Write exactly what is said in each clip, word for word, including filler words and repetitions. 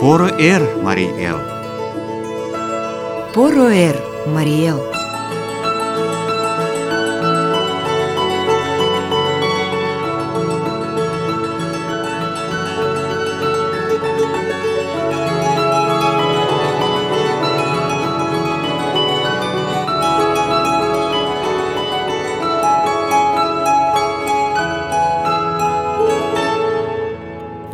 Поро эр, Марий эл! Поро эр, Марий эл!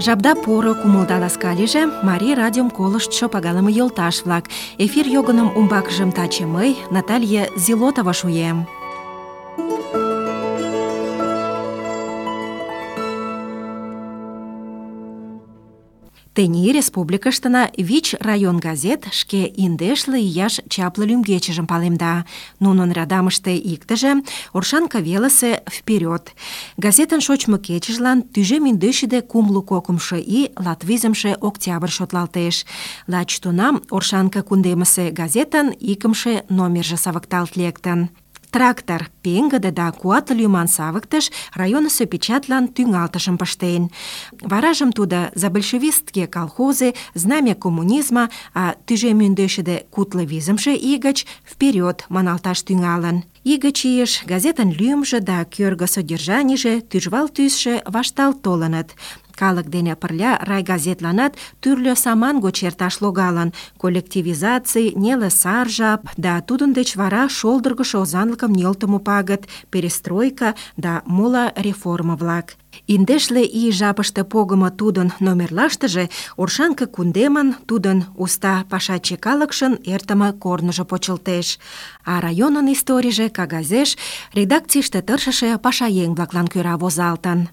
Жапда поро кумылда ласка лийже, Марий радиом колыштшо пагалыме йолташ-влак. Эфир йогыным умбакыжым таче мый, Наталья Зилотова, шуем. Тений республикыштына вич район газет шке индешле ияш чапле лӱмгечыжым палемда. Нунын радамыште иктыже Оршанка велысе «Вперед». Газетын шочмо кечыжлан тӱжем индешшӱдӧ кумло кокымшо ий латвизымше октябрь шотлалтеш. Лач тунам Оршанка кундемысе газетын икымше номерже савыкталт лектын. Трактор пеҥгыде да куатле лӱман савыктыш районысо печатлан тӱҥалтышым пыштен. Варажым тудо «За большевистские колхозы», «Знамя коммунизма», а тӱжем ӱндешшӱдӧ кудло визымше ий гыч «Вперед» маналташ тӱҥалын. Ий гыч ийыш газетын лӱмжӧ да кӧргӧ содержанийже, тӱжвал тӱсшӧ вашталт толыныт. Калык дене пырля райгазетланат тӱрлӧ саман гоч эрташ логалын: коллективизаций, неле сар жап да тудын деч вара шолдыргышо озанлыкым нӧлтымӧ пагыт, перестройка да моло реформа-влак. Индешле ий жапыште погымо тудын номерлаштыже Оршанка кундемын, тудын уста пашаче калыкшын эртыме корныжо почылтеш. А районын историйже кагазеш редакцийыште тыршыше пашаеҥ-влаклан кӧра возалтын.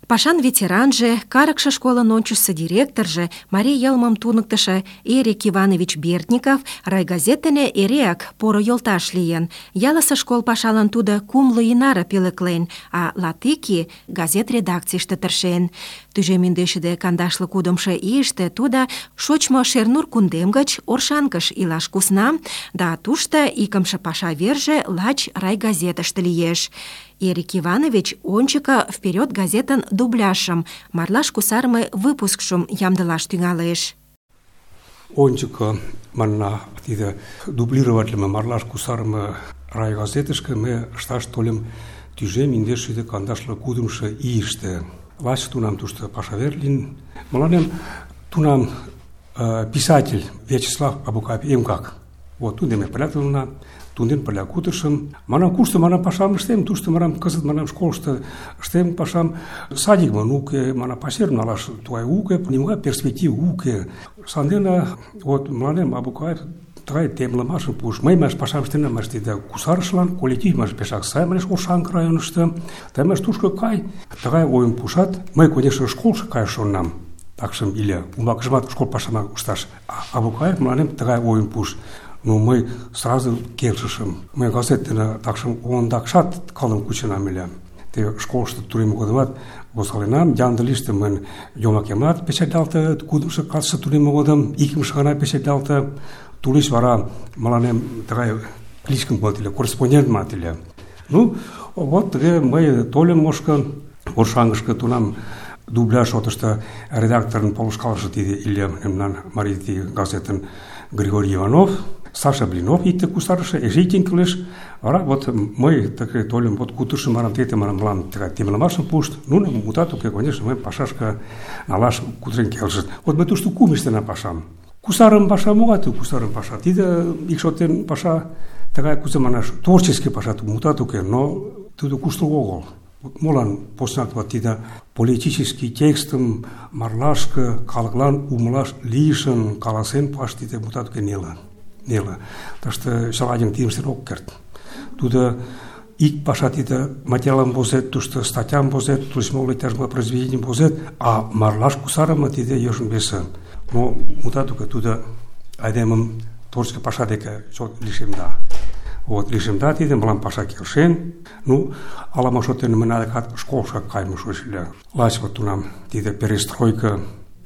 Пашан ветеранже, карыкше школын ончычсо директорже, марий йылмым туныктышо Эрик Иванович Бертников райгазет дене эреак поро йолташ лийын. Ялысе школ пашалан тудо кумло ий наре пӧлеклен, а латик ий газет редакцийыште тыршен. Тӱжем индешшӱдӧ кандашле кудымшо ийыште тудо шочмо Шернур кундем гыч Оршанкыш илаш кусна, да тушто икымше паша верже лач райгазетыште лиеш. Эрик Иванович ончыко «Вперед» газетын дубляжшым, марлаш кусарыме выпускшым ямдылаш тӱҥалеш. Ончыко, манна, тиде дублироватлыме марлаш кусарыме райгазетышке ме ышташ тольым тӱжем индешшӱдӧ кандашле кудымшо ийыште. Лач тунам тушто паша вер лийын. Мыланем тунам э, писатель Вячеслав Абукаев Эмкак. Вот тудо ме пырля толына, тунден пырля кутырышым. Манам, кушто манам пашам ыштем, тушто манам кызыт манам школышто ыштем пашам. Садикмын уке, манам пасерым налаш тугай уке, нимогай перспектив уке. Сандене вот мыланем Абукаев тыгай темлымашым пуыш. Мый маш пашам ыштенам, маш тиде кусарышлан, коллектив маш пешак сай, манеш, Оршанка районышто. Тый маш тушко кай. Тыгай ойым пуышат. Мый, конечно, школышко каяш шоненам. Такшым иле умбакыжымат школ пашам ышташ. А Абукаев мыланем тыгай ойым пуыш. Ну, мый сразу келшышым. Мый газет дене такшым ондакшат калым кученам ыле. Те школышто турем годымат возгаленам, Янды лиште мыйын йомакемат печатлалте, кудымшо классыште турем годым икымше гана печатлалте. Тулеч вара мыланем тыгай кличкым пуат ыле, корреспондент мат ыле. Ну, вот тыге мый тольым ошко Оршанкышке тунам дубляж шотышто редакторын полышкалыше тиде ыле мемнан Марий газетын Григорий Иванов, Саша Блинов икте кусарыше, эше иктен кӱлеш. Вара вот мый тыге тольым, вот кутырышым манам, тете манам, мылам тыгай темлымашым пуышт. Ну, мутат уке, конечно, мый пашашке налаш кутырен келшышт. Вот мый тушто кум ыштена пашам. Кусарым паша, могай тиде кусарым паша? Тиде ик шотен паша тыгай, кузе манаш, творческий паша, мутат уке, но тудо куштылго огыл. Молан поснак вот тиде политический текстым марлашке калыклан умылаш лийшын каласен пуаш тиде мутат уке неле. Неле. Так что чыла еҥ тидым ыштен ок керт. Тудо ик паша тиде материалым возет, тушто статьям возет, тулеч моло иктаж-могай произведенийым возет, а марлаш кусарыме тиде йӧршын весе. Но мутат уке, тудо айдемым творческий паша деке чот лишемда. Вот, лишемда тиде, мылам паша келшен. Ну, ала-мо шотен мына декат школышко кайыме шуэш ыле. Лач вот тунам тиде перестройка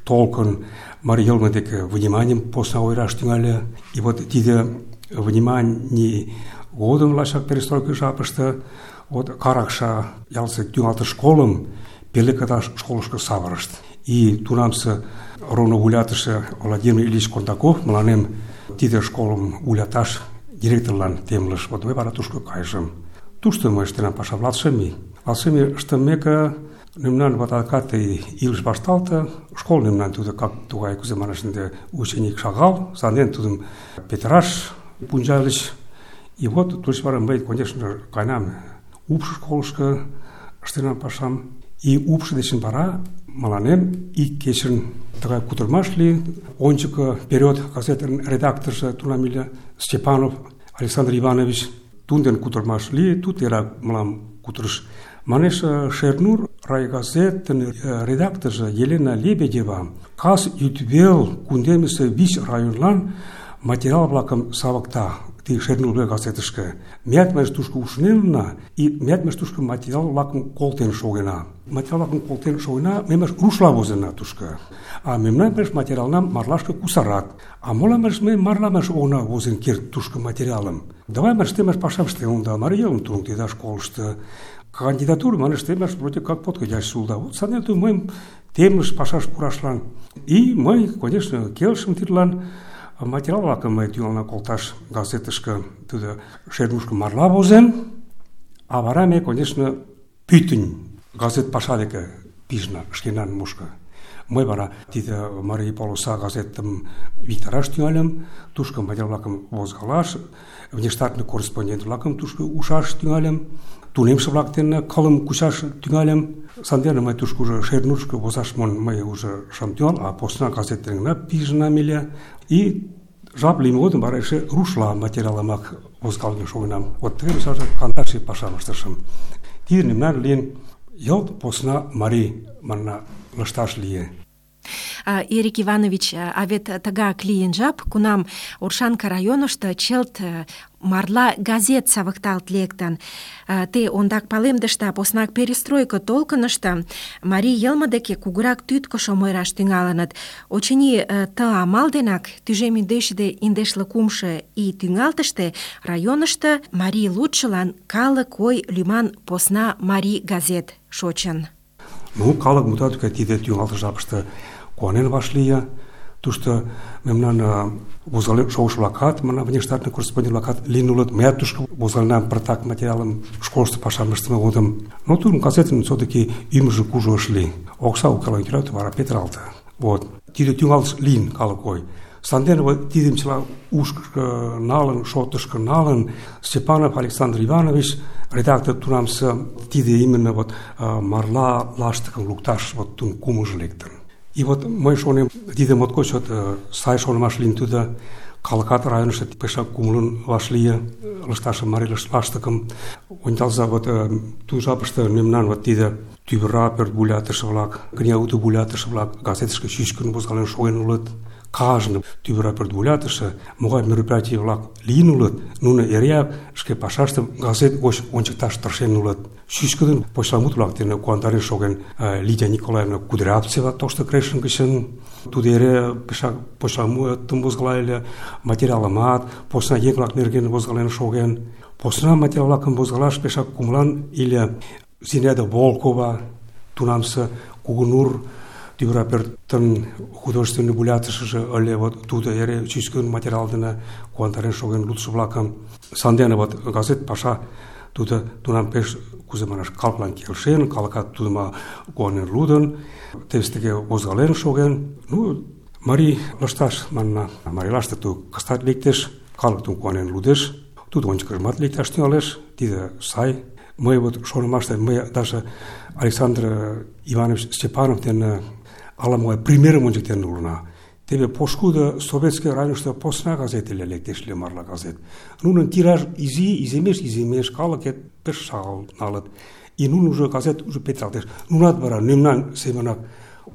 толкын марий йылме деке вниманием посна ойыраш тӱҥале. И вот тиде вниманий годым лачак перестройка жапыште вот Каракша ялысе тӱҥалтыш школым пеле кыдаш школышко савырышт. И тунамсе роно вуйлатыше Владимир Ильич Кондаков мыланем тиде школым вуйлаташ директорлан темлыш. Вот мый вара тушко кайышым. Тушто мый ыштенам паша латшым ий. Латшым ий ыштымеке, мемнан вот адакат илыш вашталте, школ мемнан тудо как тугай кузе манаш ынде ученик шагал, санден тудым петыраш пунчальыч. И вот тушто вара мый, конечно, кайнам упш школышко ыштенам пашам. И упш дечын вара мыланем ик кечын тыгай кутырымаш лийын. Ончыко «Вперед» газетын редакторжо тунам ыле Степанов Александр Иванович. Тунден кутырымаш лие, тут эра мылам кутырыш. Манеш, Шернур райгазетын редакторжо Елена Лебедева кас йӱдвел кундемысе вич районлан материал-влакым савыкта. Ти Шернур газетышке. Меат меш тушко ушнелна, и меат меш тушко материал-влакым колтен шогена. Материал-влакым колтен шогена, мемеш рушла возена тушко. А мемнан меш материалнам марлашке кусарат. А мола меш ме марла меш она возен керт тушко материалым. Давай меш темеш пашам штелым да, мариелым тунг да школышты. Кандидатуру манеш темеш вроде как подходящий сулда. Вот санету мыйым темеш пашаш пурашлан. И мый, конечно, келшым тидлан материал-влакым мый тӱҥална колташ газетышке, тудо Шернурышко марла возен, а вара ме, конечно, пӱтынь газет паша деке пижна шкенан мушко. Мый вара тиде Марий полоса газетым виктараш тӱҥальым, тушко материал-влакым возгалаш, внештатный корреспондент-влакым тушко ушаш тӱҥальым, тунемше-влак дене кылым кучаш тӱҥальым. Сандене мый тушко уже Шернурышко возаш монь мый уже шым тӱҥал, а посна газет дене пижынам ыле. И жап лийме годым вара эше рушла материалымак возгален шогенам. Вот тыге мисалже кандаше пашам ыштышым. Тиде мемнан лийын йылт посна марий манна лышташ лие. Эрик Иванович, а вет тыгак лийын жап, кунам Оршанка районышто чылт марла газет савыкталт лектын. Те ондак палемдышда, поснак перестройко толкынышто марий йылме деке кугурак тӱткышым ойыраш тӱҥалыныт. Очыни, ты амал денак тӱжем индешде индешле кумшо ий тӱҥалтыште районышто марий лудшылан калык ой лӱман посна марий газет шочын. Ну, калык мутат тиде тӱҥалтыш жапыште куанен вашлие. Тушто мемнан возгален шогышо-влакат, мына внештатный корреспондент-влакат лийын улыт. Мыят тушко возгаленам пыртак материалым школышто пашам ыштыме годым. Но тудын газетын все-таки ӱмыржӧ кужу ыш лий. Окса укалан кӱлят, вара петыралте. Вот. Тиде тӱҥалтыш лийын калык ой. Сандене вот тидым чыла ушкышко налын, шотышко налын, Степанов Александр Иванович, редактор тунамсе, тиде именно вот марла лаштыкым лукташ вот тун кумыжо лектын. И вот мый шонем, тиде моткоч вот сай шонымаш лийын тудо, калыкат районышто пешак кумылын вашлие лышташым, марий лаштыкым. Ончалза вот ту жапыште мемнан вот тиде тӱвыра пӧрт вуйлатыше-влак, кынелуто вуйлатыше-влак газетышке чӱчкын возгален шоген улыт. Кажне тӱвыра пӧрт вуйлатыше, могай мероприятий-влак лийын улыт, нуно эреак шке пашаштым газет гоч ончыкташ тыршен улыт. Чӱчкыдын почеламут-влак дене куандарен шоген Лидия Николаевна Кудрявцева Тошто Крешын гычын. Тудо эре пешак почеламутым возгалале, материалымат, посна еҥ-влак нерген возгален шоген. Посна материал-влакым возгалаш пешак кумылан иле Зинаида Волкова, тунамсе Кугунур тӱвыра пӧртын художественный вуйлатышыже ыле, вот тудо эре чӱчкыдын материал дене куандарен шоген лудшо-влакым. Сандене вот газет паша тудо тунам пеш, кузе манаш, калыклан келшен, калыкат тудым куанен лудын, теве тыге возгален шоген. Ну, марий лышташ манна, марий лаштык ту кыстат лектеш, калык тудым куанен лудеш, тудо ончыкыжымат лекташ тӱҥалеш, тиде сай. Мый вот шонымаште, мый даже Александр Иванович Степанов дене ала-могай примерым ончыктен улына. Теве пошкудо Советский районышто посна газет ыле, лектеш ыле марла газет. Нунын тираж изи, иземеш, иземеш, калыкет пеш шагал налыт. И нунын уже газет уже петыралтеш. Нунат вара мемнан семынак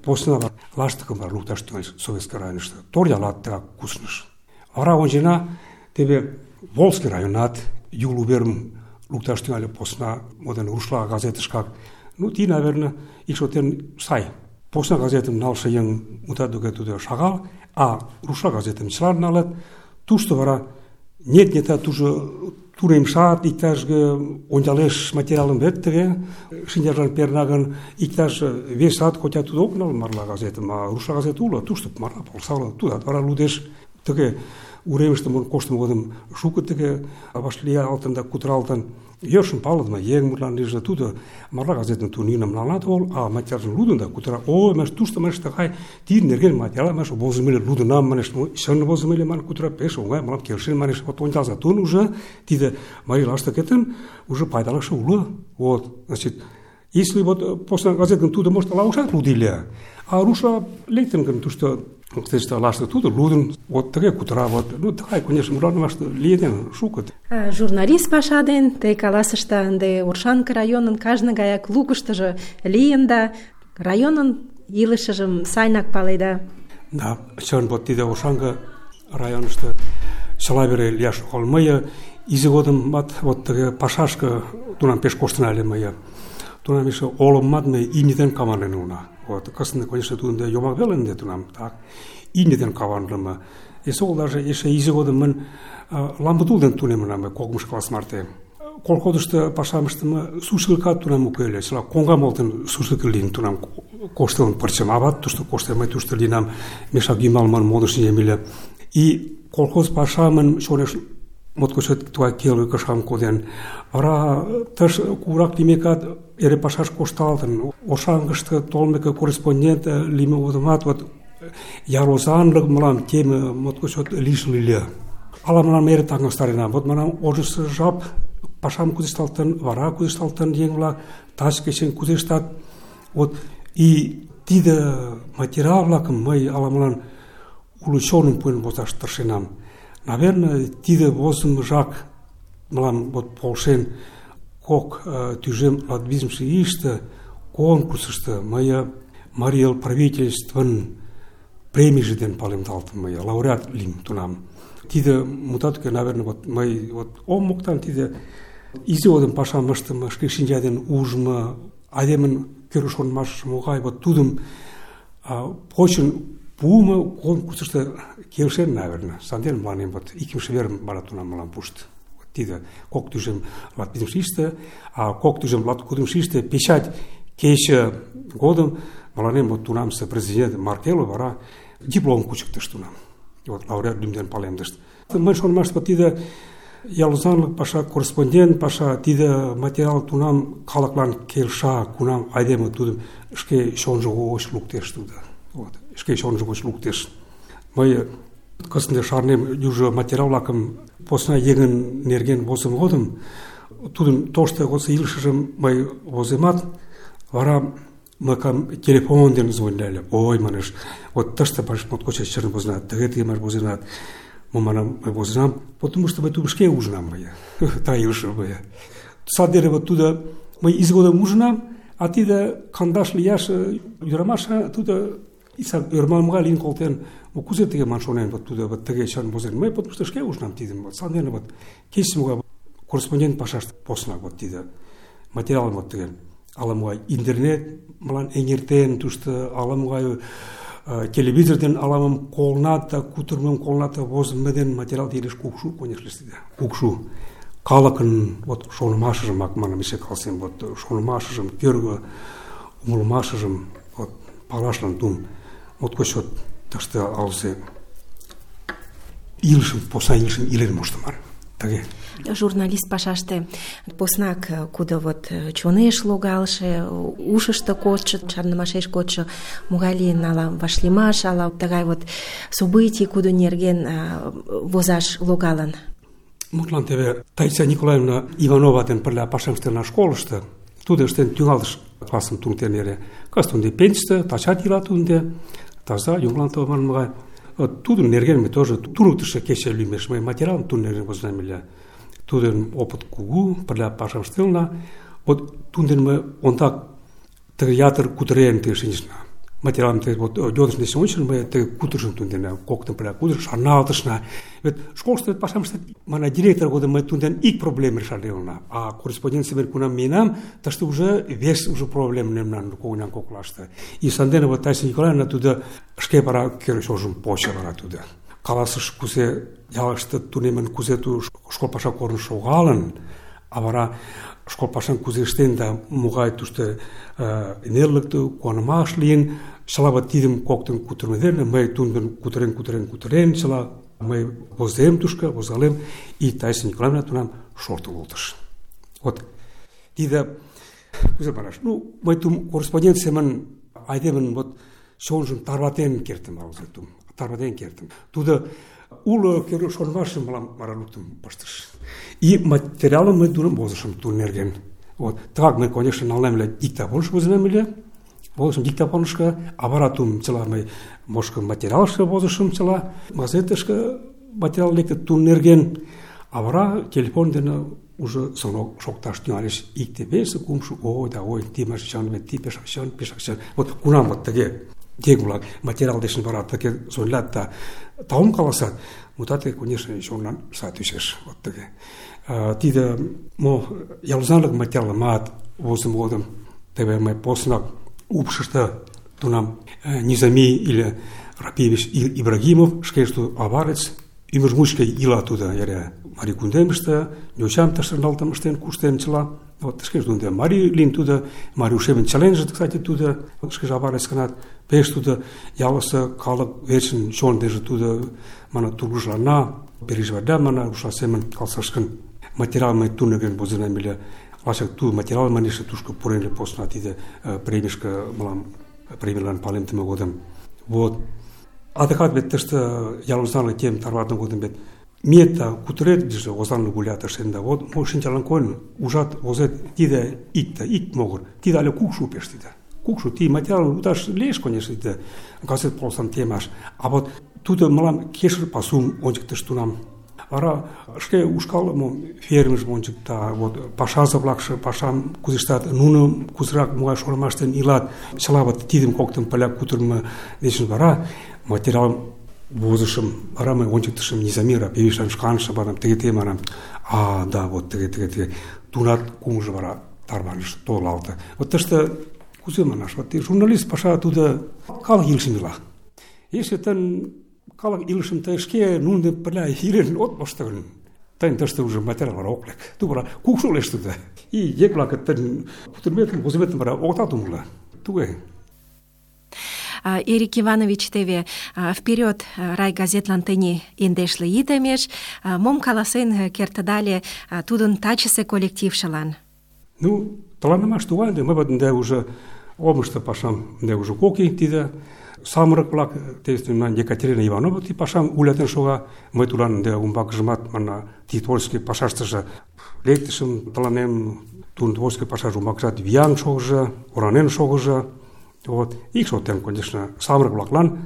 посна лаштыкым вара лукташ тӱҥальыч Советский районышто. Торъялат тыгак кусныш. Вара ончена, теве Волжский районат Юл уверым лукташ тӱҥале посна, моден рушла газетышкак. Ну, ти, наверное, ик шотен сай. Посна газетым налше еҥ мутат туге тудо шагал, а рушла газетым чылан налыт. Тушто вара нет-нетат уже туремшат, иктаж ончалеш материалым вет тыге, шинчажлан перна гын, иктаж весат, хотя тудо ок нал марла газетым, а руша газет уло, тушто марла полсала, тудат вара лудеш, тыге уремыште монь коштымо годым шуко тыге вашлиялтын да кутыралтын, йӧршын палыдыме еҥ мутлан лийже, тудо марла газетым тунинам налат огыл, а материалжым лудын да кутыра, ой, манеш, тушто манеш тыгай тидын нерген материал, манеш, возымо ыле, лудынам, манеш, чын возымо ыле, манеш, кутыра, пеш оҥай, мылам келшен, манеш, вот ончалза, тун уже тиде марий лаштыкетын уже пайдалыкше уло, вот, значит, если вот после газетым тудо, может, ала ушат лудиле, а руша лектын гын тушто Кстати, лашты туда, лудын, вот тыге кутыра, вот, ну, тыгай, конечно, муран вашты лиеден, шукыт. Журналист паша ден, те каласышта, ынде Оршанка районын кажне гаяк лукыштыжо лийын да, районын илышыжым сайнак паледа. Да, чын, вот тиде Оршанка районышты чыла вере лияш огыл. Мые изи годымат вот тыге пашашка тунам пеш коштын ыле мые. Тунам эше олыммат ме имнетен каманен уна. Вот, кысында, конечно, тунда йомак веле ынде тунам, так, имнетен каванлыма. Эсол даже эше изи годым мын ламбытулден тунемынам кокымш класс марте. Колхозышты пашамыштымы сушилка тунам уке ыле, чыла коҥгамолтын сушилка лийын тунам коштылын пырчым. Ават тушто коштен, мый тушто лийынам, мешак йымалман модыш нием. И колхоз пашамын чонеш моткочет тугай келге кышам коден. Вара тыш курак лиймекат эре пашаш кошталтын. Оршанкышты толмеке корреспондент лийме годымат вот ярозанлык мылам теме моткочет лишыл ыле. Ала мылам эре таҥастаренам. Вот манам ожнысо жап пашам кудешталтын, вара кудешталтын еҥ-влак, таче кечын кудештат. Вот и тиде материал-влакым мый ала-молан уло чоным пуэн возаш тыршенам. Наверное, тиде возымыжак мылам вот полшен кок тӱжем латвизымше ийыште конкурсышто мые Марий эл правительствын премийже ден палемдалтын мые, лауреат лийым тунам. Тиде мутат, наверное, вот мый вот ом моктан тиде изи годым пашам ыштыме, шке шинча ден ужмо, айдемын кӧргӧ шонымашыже могай, вот тудым почын пуымо конкурсышто келшен, наверное. Санден мыланем вот икымше верым вара тунам мылам пуышт. Тиде кок тӱжем латвизымше ийыште, а кок тӱжем латкудымшо ийыште печать кече годым мыланем вот тунамсе президент Маркелов вара диплом кучыктыш тунам. Вот лауреат лӱм дене палемдышт. Мый шонымаште тиде ялузанлык паша, корреспондент паша, тиде материал тунам калыклан келша, кунам айдеме тудым шке чонжо гоч луктеш тудо. Вот, шке чонжо гоч луктеш. Мый кызытде шарнем южо материал-влакым посна еҥын нерген возымо годым, тудын тошто годсо илышыжым мый воземат, вара мылам телефон дене звоняле. Ой, манеш, вот тыште паш моткочак чын возенат, тыге-тыге мый возенат. Мо манам, мый возенам, потому что мый тудым шке ужынам мые, та илышым мые. Садере вот тудо мый изи годым ужынам, а тиде кандаш лияш ӱдырамаш тудо исак ӧрмалымга лийын колтен. Мо кузе тыге ман шонен, вот тудо вот тыге чын возен. Мый потому что шке ужынам тидым. Вот сандене вот кече корреспондент пашаште посна вот тиде материалым вот тыге. Ала-могай интернет мылан эҥертен, тушто ала-могай телевизорден аламым колната, кутырмым колната, возымо ден материал тидеш кукшу, конечно, тиде. Кукшу. Калыкын вот шонымашыжымак манам эше калсем, вот шонымашыжым, кӧргӧ умылымашыжым вот палашлан тум моткоч вот тыште алсе илышым, посна илышым илен моштыман. Тыге. Журналист пашаште поснак кудо вот чонеш логалше, ушышто кодшо, шарнымашеш кодшо, могай лийын ала вашлиймаш, ала тыгай вот событий кудо нерген возаш логалын. Мутлан теве Таисия Николаевна Иванова ден пырля пашам ыштена школышто, тудо ыштен тӱҥалтыш классым туныктен эре. Кызыт ынде пенсийыште, тачат ила тудо, таза, юмылан манмыгай. Тудын нерген ме тоже туныктышо кече лӱмеш мый материалым тудын нерген возенам ыле. Тудын опыт кугу, пырля пашам ыштылна. Вот тудын дене мый ондак тыге ятыр кутырен тыге шинчышна. Материалым тыге вот йодыш дечын ончылно мый тыге кутырышым тудын дене, коктын пырля кутырыш, шарналтышна. Вет школышто вет пашам ыштет, мана директор годым мый тудын дене ик проблем решална, а корреспонденция мен кунам миенам, тыште уже вес уже проблем мемнан когынян коклаште. И сандене вот Таисия Николаевна тудо шке вара кӧргӧ чонжым почо вара тудо. каласыш, кузе ялыште тунемын, кузе ту школ паша корно шогалын, а вара школ пашам кузе ыштен да могай тушто нерлыкте, куанымаш лийын, чыла вот тидым коктын кутырымо дене мый тудын кутырен, кутырен, кутырен, чыла мый возем тушко, возгалем, и Таиса Николаевна тунам шортын колтыш. Вот тиде, кузе манаш, ну, мый тум корреспонденциямын айдемын вот чонжым тарватен кертым, алгытым, тарватен кертым. Тудо уло шонымашым мылам вара луктын пыштыш. И материалым мый тудым возышым тудын нерген. Вот, так мый, конечно, налнем ыле диктофоныш возынем ыле, возышым диктофонышко, а вара тум чыла мый мошко материалышко возышым чыла, газетышко материал лекте тудын нерген, а вара телефон дене уже звонок шокташ тӱҥалеш. Икте, весе, кумшо, ой да ой, ти машчан, ти пешак чан, пешак чан. Вот кунам вот тыге еҥ-влак материал дечын вара тыге звонлат да таум каласат, мутат, конечно, чонлан сай тӱчеш. Вот тыге. Тиде мо ялузанлык материалымат возымо годым теве мый поснак упшышто тунам Низами или Рапиевич Ибрагимов, шкеже аварец, ӱмыр мучко ила тудо эре марий кундемыште, йочам тыште налтым ыштен, куштен чыла. Вот шкеже тудо марий лийын тудо, марий ушемын членже, кстати, тудо, шкеже аварец гынат, пеш тудо ялысе калык верчын чон дене тудо мана тургыжлана, переживайда мана руша семын калсашкын материал мый тудын нерген возынем ыле. Лачак ту материал манеше тушко пурен ыле посна тиде премийышке мылам премийлан палемдыме годым. Вот. Адекат бет тыште ялымыздан тем тарватын годым бет мета кутырет диже озанлы гулят ыштенда. Вот мо шинчалан койын ужат возет тиде икте, ик могыр. Тиде але кукшу пеш тиде. Кукшу ти материал уташ леш, конечно, тиде газет полсан темаш. А вот тудо мылам кешыр пасум ончыктыш тунам. Вара шке ушкалымо фермыш ончыкта, вот пашазы-влакше пашам кузе ыштат, нуно кузерак могай шонымаштен илат, чыла вот тидым коктын пырля кутырымо дечын вара материалым возышым, вара мый ончыктышым Низами Рапиевичлан шканже манам, тыге-тыге манам. А, да, вот тыге-тыге-тыге. Тунат кумжо вара тарваныш, толалте. Вот тыште кузе манаш, вот журналист паша тудо калык илышым ила. Если тын калык илышым тый шке нунын дене пырля илен от мошто гын, тыйын тыште уже материал вара ок лек. Ту вара кукшу лиеш тудо. И еҥ-влак тыйын кутырыметым, возыметым вара огытат умыло. Туге. Эрик Иванович, теве вперед райгазетлан тений индешле итемеш, мом каласен кертыдале тудын тачысе коллектившылан? Ну, тыланымаш тугай, мый вот ынде уже омышто пашам ынде уже кок ий тиде самырык-влак, тестюнан Екатерина Иванова ти пашам улятен шога, мый тулан ынде умбакыжымат мана ти творческий пашаштыже лектышым тыланем, тудын творческий пашаже умбакыжат виян шогыжо, оранен шогыжо. Вот, ик шоттен, конечно, самырык-влаклан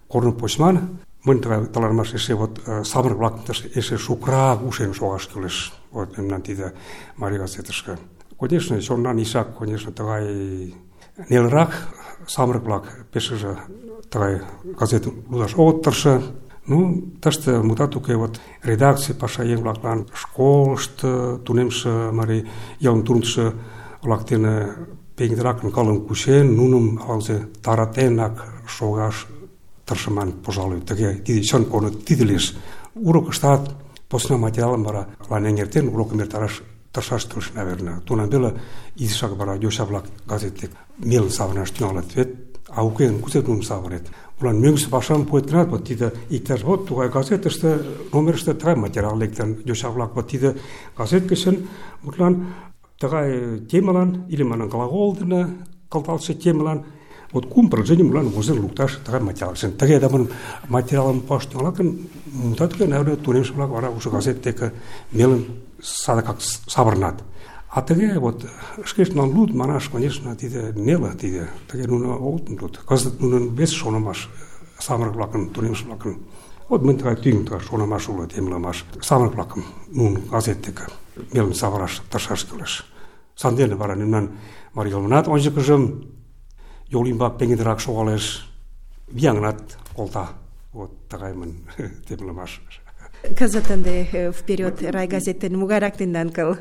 корно почман, мынь тыланымаш эше вот самырык-влакым эше шукрак ушен шогаш кӱлеш. Вот мемнан тиде марий газетышке. Конечно, чонлан ишак, конечно, тыгай нелырак самырык-влак пешыже тыгай газетым лудаш огыт тырше. Ну, тыште мутат уке, вот редакций паша еҥ-влаклан школышто тунемше марий йылым туныктышо-влак дене пеҥгыдыракын кылым кучен, нуным алзе таратенак шогаш тыршыман, пожалуй, тыге, тиде чын корно, тиде лиеш. Урокыштат посна материалым вара лан эҥертен, урокым эртараш тыршаш кӱлеш, наверное. Тунам веле изишак вара йоча-влак газет дек мелын савырнаш тӱҥалыт вет, а уке гын кузе нуным савырет? Улан мӧҥгысӧ пашам пуэт гынат, вот тиде иктаж вот тугай газетыште, номерыште тыгай материал лектын, йоча-влак вот тиде газет гычын, мутлан тыгай темалан, или манан глагол дене кылталтше темалан, вот кум предложений мылан возен лукташ тыгай материал. Тыге да мын материалым пуаш тӱҥалат гын, мутат уке, наверное, тунемше-влак вара уже газет деке мелын садыгак савырнат. А тыге вот шкештын луд манаш, конечно, тиде неле тиде, тыге нуно огыт луд. Кызыт нунын вес шонымаш самырык-влакын, тунемше-влакын. Вот мынь тыгай тӱҥ тыгай шонымаш уло, темлымаш. Самырык-влакым нунын газет деке мелын савыраш тыршаш кӱлеш. Сандене вара мемнан марий йылмынат ончыкыжым йол ӱмбак пеҥгыдырак шогалеш, вияҥынат колта. Вот тыгаймын темлымаш. Кызыт ынде вперед райгазеттен могайрак тендан кыл?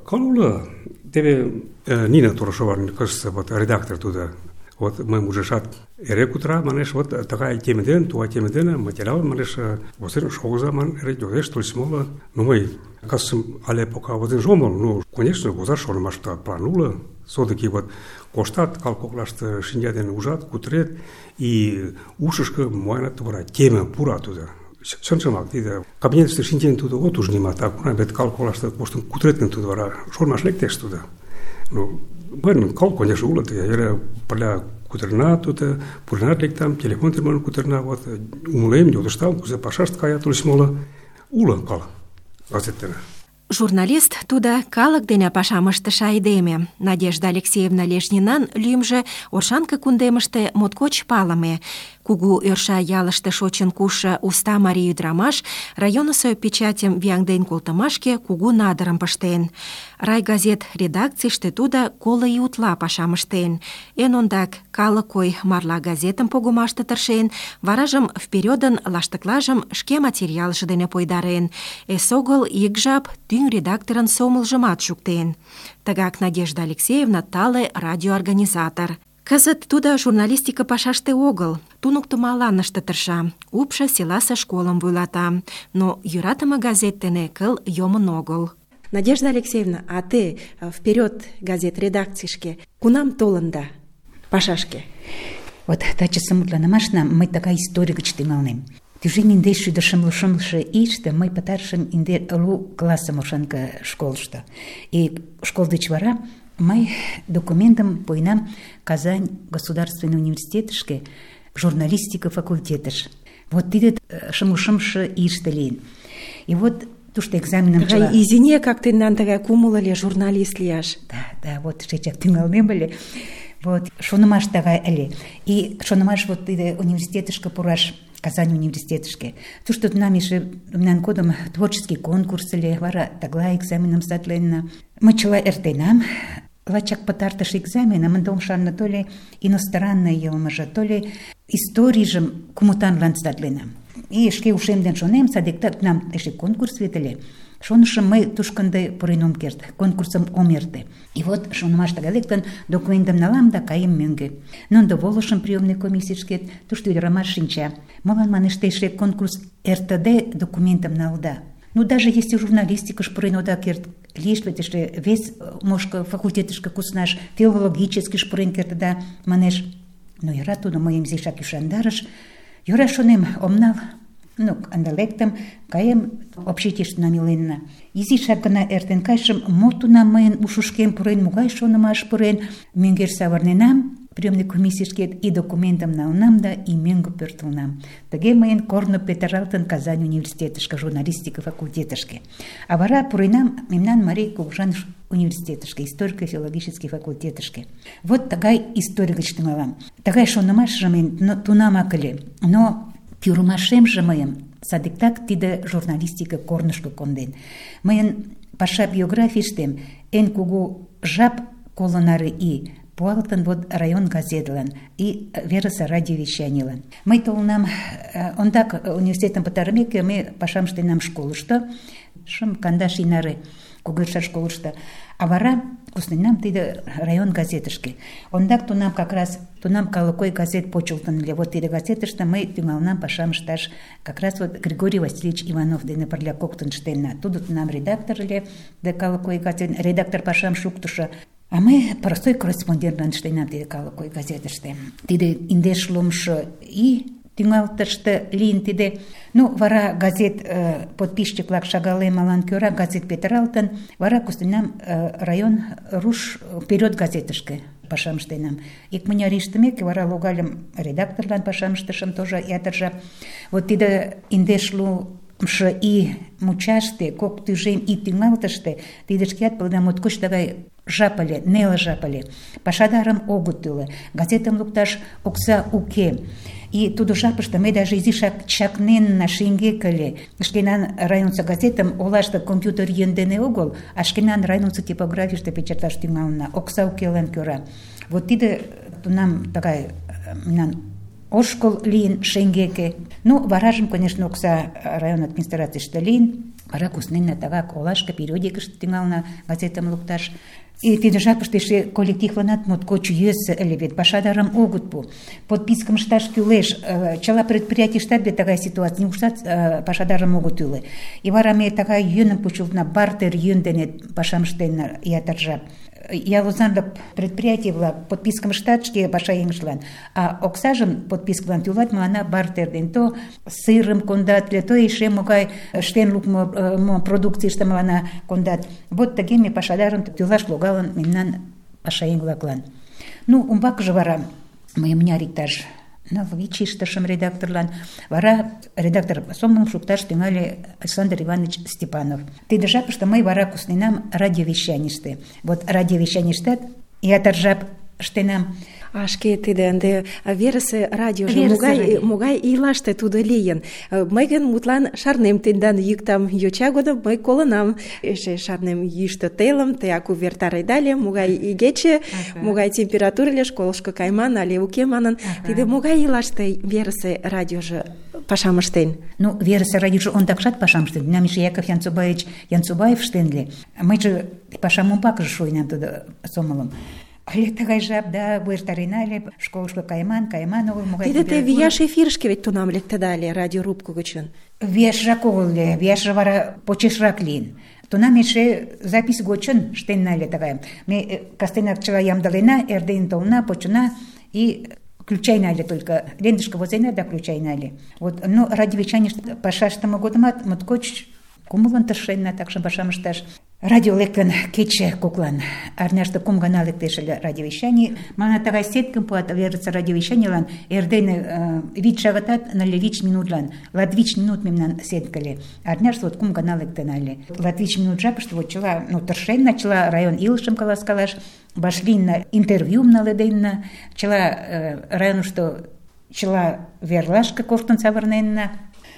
Кыл уло. Теве Нина Торошован кызытсе вот редактор тудо Вот мыйым ужешат, эре кутыра, манеш, вот тыгай теме дене, тугай теме дене материал, манеш, возен шогыза, ман, эре йодеш, тольыч моло. Ну, мый, касым, але пока возен омыл, ну, конечно, возаш шонымашта план уло. Все-таки вот коштат, кал коклаште шинча дене ужат, кутырет, и ушышко моянат тугара теме пура туда. Чынжымак, тиде кабинетыште шинчен тудо от уж нимат, а кунам бет кал коклаште коштын кутырет тудо вара шонымаш лектеш туда. Ну, bueno, кал, конечно, уло, эре пырля кутырна туда, пурнат лектам, телефон термон кутырна, вот, умылем, йодыштам, кузе пашашт кая, тулыч моло, уло кал, газеттене. Журналист туда калык дене пашам ыштыше айдеме. Надежда Алексеевна Лешнинан лӱмжӧ Оршанка кундемыште моткоч палыме. Кугу Ӧрша ялыште шочын кушшо уста марий ӱдырамаш районысо печатьым вияҥден колтымашке кугу надырым пыштен. Райгазет редакцийыште тудо коло ий утла пашам ыштен. Эн ондак «Калык ой» марла газетым погымаште тыршен, варажым «Вперёдын» лаштыклажым шке материалже дене пойдарен. Эсогыл ик жап тӱҥ редакторын сомылжымат шуктен. Тыгак Надежда Алексеевна тале радиоорганизатор. Кызыт тудо журналистика пашаште огыл, туныктымалан ыште тырша, упшо селасе школым вуйлата, но йӧратыме газет дене кыл йомын огыл. Надежда Алексеевна, а те «Вперёд» газет редакцийышке кунам толында пашашке? Вот тачысе мутланымашна мый тыгай историй гыч тӱҥалнем. Тӱжем индеш шӱдӧ шымле шымлыше ийыште мый пытарышым инде лу классым Оршанка школышто. И школ деч вара мый документым пуэнам Казань государственный университетышке, журналистика факультетыш. Вот тиде шымле шымше ийыште лийын. И вот тушто экзаменым чыла... Изине как тендан тыгай кумыл ыле журналист лияш. Да, да, вот шечак тӱҥалнем ыле. Вот шонымаш тыгай ыле. И шонымаш вот тиде университетышке пураш, Казань университетышке. Тушто тунам эше мемнан годым творческий конкурс ыле, вара тыглай экзаменым сатленна. Мый чыла эртенам. Лачак пытартыш экзаменым ынде ом шарне, то ли иностранный йылмыже, то ли историйжым кумытанлан сатленам. И шке ушем ден шонем, садиктак тунам эше конкурс вет ыле. Шонышым мый тушко ынде пурен ом керт, конкурсым ом эрте. И вот шонымаш тыгай лектын, документым налам да каем мӧҥгӧ. Но ынде волышым приёмный комиссийышкет, тушто ӱдырамаш шинча. Молан, манеш, те эше конкурс эртыде документым налыда? Ну, даже если журналистикыш пурен ода керт, лиеш вет эше вес мошко факультетышке куснаш, филологическийыш пурен кертыда, манеш. Но йӧра тудо мыйым изишак ӱшандарыш. Йӧра, шонем, ом нал. Ну, ынде лектым, каем, общежитийыште намиленна. Изишак гына эртен кайышым, мо тунам мыйын ушышкем пурен, могай шонымаш пурен, мӧҥгеш савырненам, приёмный комиссийышкет и документым налынам да и мӧҥгӧ пӧртылнам. Тыге мыйын корно петыралтын Казань университетышке, журналистика факультетышке. А вара пуренам мемнан Марий кугыжан университетышке, историко-филологический факультетышке. Вот тыгай историй гыч тӱҥалам. Тыгай шонымашыже мыйын тунамак ыле. Но пӱрымашемже мыйым садиктак тиде журналистика корнышко конден. Мыйын паша биографийыштем эн кугу жап коло наре ий пуалтын вот район газетлан и верысе радиовещанийлан. Мый толынам, ондак университетым пытарымеке, ме пашам ыштенам школышто, шым кандаш ий наре Кугырша школышто. А вара кусненам тиде район газетышке. Ондак тунам как раз, тунам «Калык ой» газет почылтын ыле. Вот тиде газетыште мый тӱҥалнам пашам ышташ. Как раз вот Григорий Васильевич Иванов дене пырля коктын ыштенна. Тудо тунам редактор ыле, де «Калык ой» газет, редактор пашам шуктышо. А мый простой корреспондентлан ыштенам тиде «Калык ой» газетыште. Тиде индеш лумшо ий тӱҥалтыште лийын тиде. Ну, вара газет э, подписчик-влак шагалемалан кӧра газет петыралтын, вара кусненам э, район руш «Вперёд» газетышке пашам ыштенам. Икмыняр ий ыштымеке, вара логальым редакторлан пашам ыштышым тоже ятыр жап. Вот тиде индеш лумшо ий мучаште, кок тӱжем ий тӱҥалтыште, тиде шкеат паледа моткоч тыгай жап ыле, неле жап ыле. Пашадарым огыт тӱлӧ, газетым лукташ окса уке. И тудо жапыште мый даже изишак чакненна шеҥгек ыле. Шкенан районысо газетым олаште компьютер йӧн дене огыл, а шкенан районысо типографийыште печатлаш тӱҥална, окса укелан кӧра. Вот тиде тунам тыгай мемнан ошкыл лийын шеҥгеке. Ну, варажым, конечно, окса район администрацийыште лийын. Вара кусненна тыгак олашке периодикыште тӱҥална газетым лукташ. И тиде жапыште эше коллективланат моткоч йӧсӧ ыле вет, пашадарым огыт пу. Подпискым ышташ кӱлеш. Чыла предприятийыштат вет тыгай ситуаций, нигуштат пашадарым огыт тӱлӧ. И вара ме тыгай йӧным почылтна, бартер йӧн дене пашам ыштенна ятыр жап. Ял озанлык предприятий-влак подпискым ыштат шке пашаеҥыштлан, а оксажым подпискылан тӱлат мыланна бартер ден. То сырым кондат, то эше могай ыштен лукмо продукцийыште мыланна кондат. Вот тыге ме пашадарым тӱлаш логалын мемнан пашаеҥ-влаклан. Ну, умбакыже вара мый мыняр иктаж ныл-вич иштышым редакторлан, вара редактор сомылым шукташ тӱҥале Александр Иванович Степанов. Тиде жапыште мый вара кусненам радиовещанийыште. Вот радиовещанийыштат ятыр жап ыштенам. А шке тиде ынде верысе радиожо могай, могай ийлаште тудо лийын. Мый гын мутлан шарнем тендан йӱктам йоча годым мый колынам. Эше шарнем йӱштӧ телым, теак увертареда ыле, могай игече, ага. могай температура ыле, школышко кайман але уке манын. Ага. Тиде могай ийлаште верысе радиожо пашам ыштен? Ну, верысе радиожо ондакшат пашам ыштен. Мемнан эше Яков Янцубаевич Янцубаев ыштен ыле. Мыйже пашам умбакыже шуйнам тудо сомылым. Але тыгай жап, да, увертарена ыле, школышко кайман, кайман огыл, могай... Тиде те вияш эфирышке ведь тунам лектеда ыле радиорубко гычын. Вияшрак огыл ыле, вияшже вара почешрак лийын. Тунам эше запись гочын ыштенна ыле тыгайым. Ме кастенак чыла ямдылена, эрден толна, почына и включайна ыле только. Лентышке возена да включайна ыле. Вот, но радиовещанийыште паша ыштыме годымат моткоч кумылын тыршенна, такшым пашам ышташ. Радио лектын кече коклан. Арняште кум гана лектеш ыле радиовещаний. Мана тыгай сеткым пуат верысе радиовещанийлан эрдене вич шагатат нылле вич минутлан. Латвич минут мемнан сетка ыле. Арняште вот кум гана лектына ыле. Латвич минут жапыште вот чыла, ну, тыршенна, чыла район илышым каласкалаш, башлинна интервьюм наледенна, чыла районышто чыла верлашке коштын савырненна.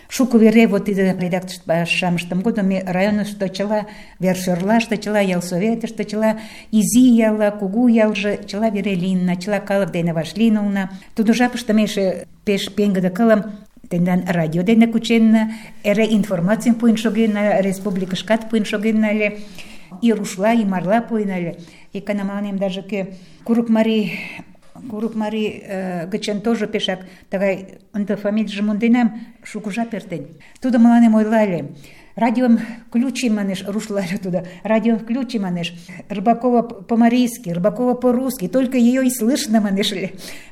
Шуко вере вот тиде редакторышто пашам ыштыме годым ме районышто чыла вершӧрлаште, чыла ялсоветыште, чыла изи ялла, кугу ялже, чыла вере лийынна, чыла калык дене вашлийын улына. Тудо жапыште ме эше пеш пеҥгыде кылым тендан радио дене кученна, эре информацийым пуэн шогенна, республикышкат пуэн шогенна ыле, и рушла, и марла пуэн ыле. Икана мыланем даже кӧ Курыкмарий Курыкмарий э, гычын тоже пешак тыгай ынде фамилийжым монденам, шуко жап эртен. Тудо мыланем ойла ыле: радиом включи, манеш, рушлаже туда, радиом включи, манеш, Рыбакова по-марийски, Рыбакова по-русски, только ее и слышно, манеш.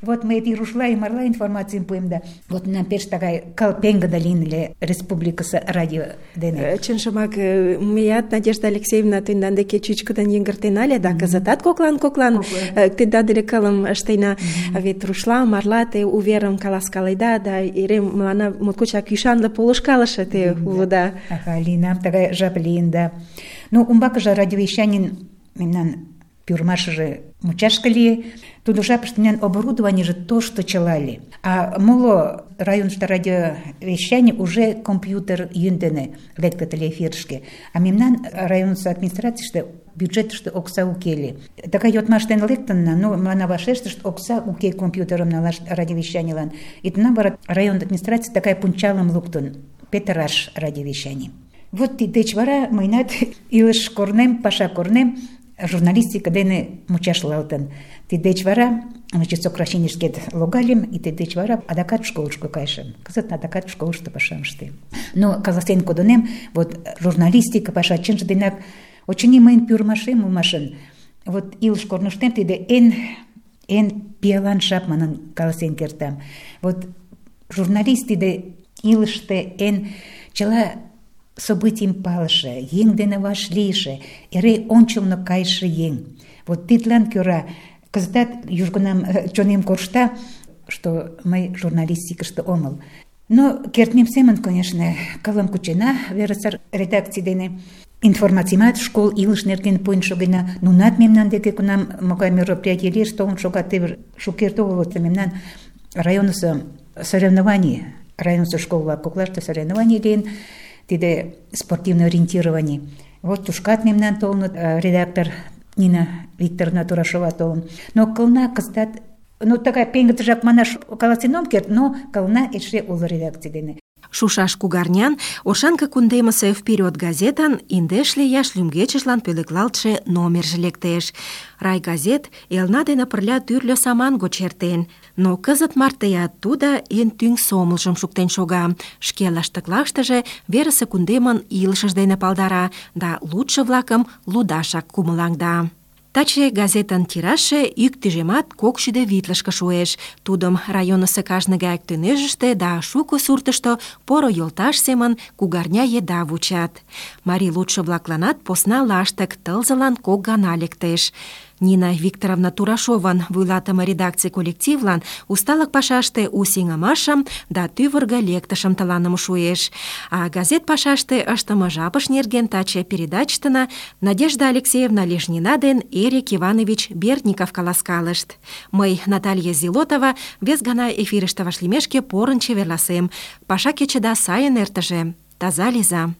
Вот мы эти рушла и марла информацию пуем, да. Вот нам пеш такая калпенга долинли республикасы радио дене. Чынжымак, меят, Надежда Алексеевна, тендан деке чӱчкыдын йыҥгыртен ыле, да кызытат коклан-коклан тендан дене кылым ыштена. Вет рушла, марла те уверым каласкаледа, да эре мыланна моткочак ӱшанле полышкалыше те улыда. Линам тыгай жап лийын, да. Ну, умбакыже радиовещанийын мемнан пӱрымашыже мучашке лие. Тудо жапыште мемнан оборудованийже тошто чыла ыле. А моло районышто радиовещаний уже компьютер йӧн дене лектыт ыле эфирышке. А мемнан районысо администрацийыште бюджетыште окса уке ыле. Тыгай йодмаш дене лектынна, но мыланна вашештышт: окса уке компьютерым налаш радиовещанийлан. И тунам вара район администраций тыгай пунчалым луктын: петыраш радиовещаний. Вот тидеч вара мыйнат илыш корнем, паша корнем журналистика дене мучашлалтын. Тидеч вара, значит, сокращенийышкет логальым, и тидеч вара адакат школышко кайышым. Кызыт адакат школышто пашам ыштем. Но каласен кодынем, вот журналистика паша чынже денак, очыни мыйын пӱрымашем улмашын. Вот илыш корныштем тиде эн эн пиалан жап манын каласен кертам. Вот журналист тиде илыште эн чыла событийым палыше, еҥ дене вашлийше, эре ончылно кайыше еҥ. Вот тидлан кӧра кызытат южгунам чонем коршта, что мый журналистикыште омыл. Но кертмем семын, конечно, кылым кучена верысе редакций дене. Информациймат школ илыш нерген пуэн шогена. Нунат мемнан деке кунам могай мероприятий лиеш толын шогат. Теве шукерте огыл вот мемнан районысо соревнований, районысо школ-влак коклаште соревнований лийын. Тиде спортивное ориентирование. Вот тушкат мемнан толыныт, редактор Нина Викторовна Турашова толын. Но кылна кызытат, ну тыгай пеҥгыдыжак манаш каласен ом керт, но кылна эше уло редакций дене. Шушаш кугарнян Оршанка кундемысе «Вперед» газетан индешле ияш лӱмгечыжлан пӧлеклалтше номерже лектеш. Райгазет элна дене пырля тӱрлӧ саман гоч эртен, но кызыт мартеат тудо эн тӱҥ сомылжым шуктен шога. Шке лаштыклаштыже верысе кундемын илышыж дене палдара да лудшо-влакым лудашак кумылаҥда. Таче газетын тиражше ик тӱжемат кок шӱдӧ витлышке шуэш. Тудым районысо кажне гаяк төнӧжыштӧ да шуко суртышто поро йолташ семын кугарня еда вучат. Марий лудшо-влакланат посна лаштык тылзылан кок гана лектеш. Нина Викторовна Турашован вуйлатыме редакций коллективлан усталык пашаште у сеҥымашым да тӱвыргӧ лектышым тыланым шуэш. А газет пашаште ыштыме жапыш нерген таче передачыштына Надежда Алексеевна Лежнина ден Эрик Иванович Бердников каласкалышт. Мый, Наталья Зилотова, вес гана эфирыште вашлиймешке порын чеверласем. Паша кечыда сайын эртыже. Таза лийза.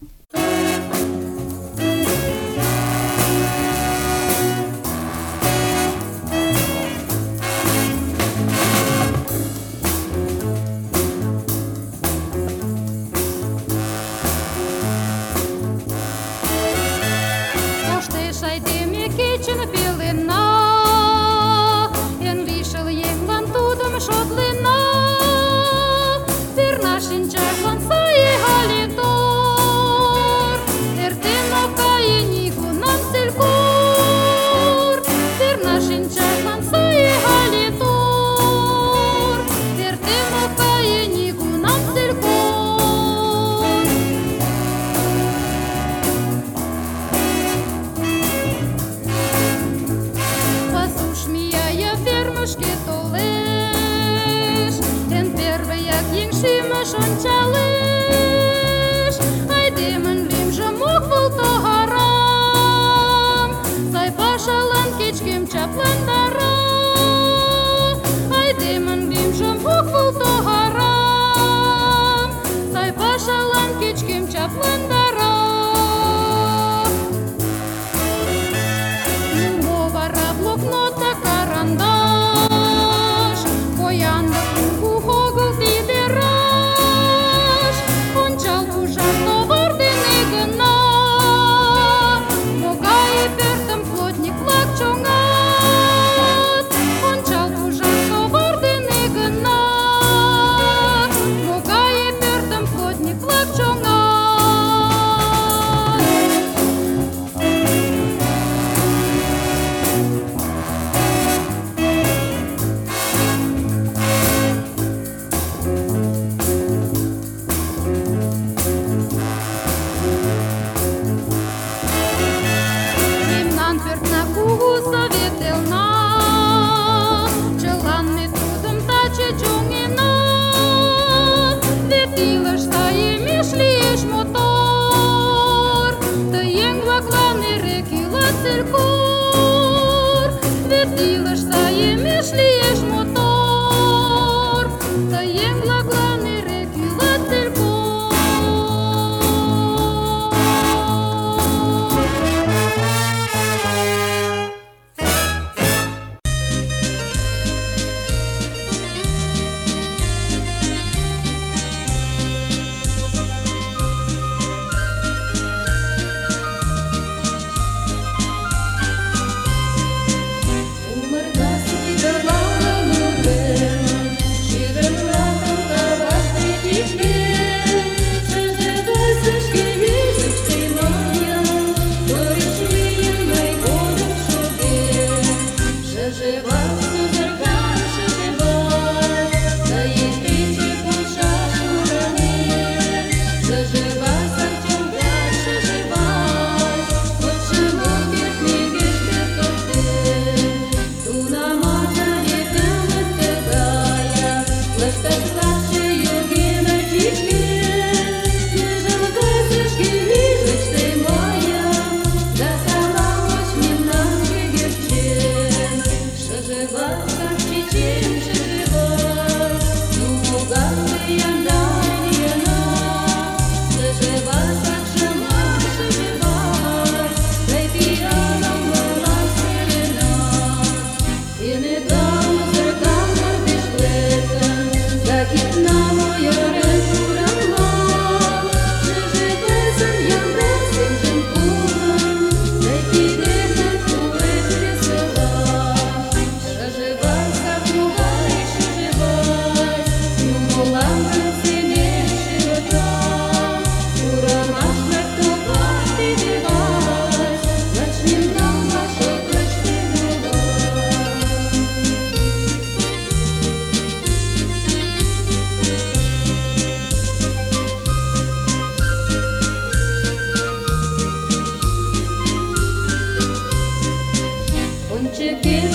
чекен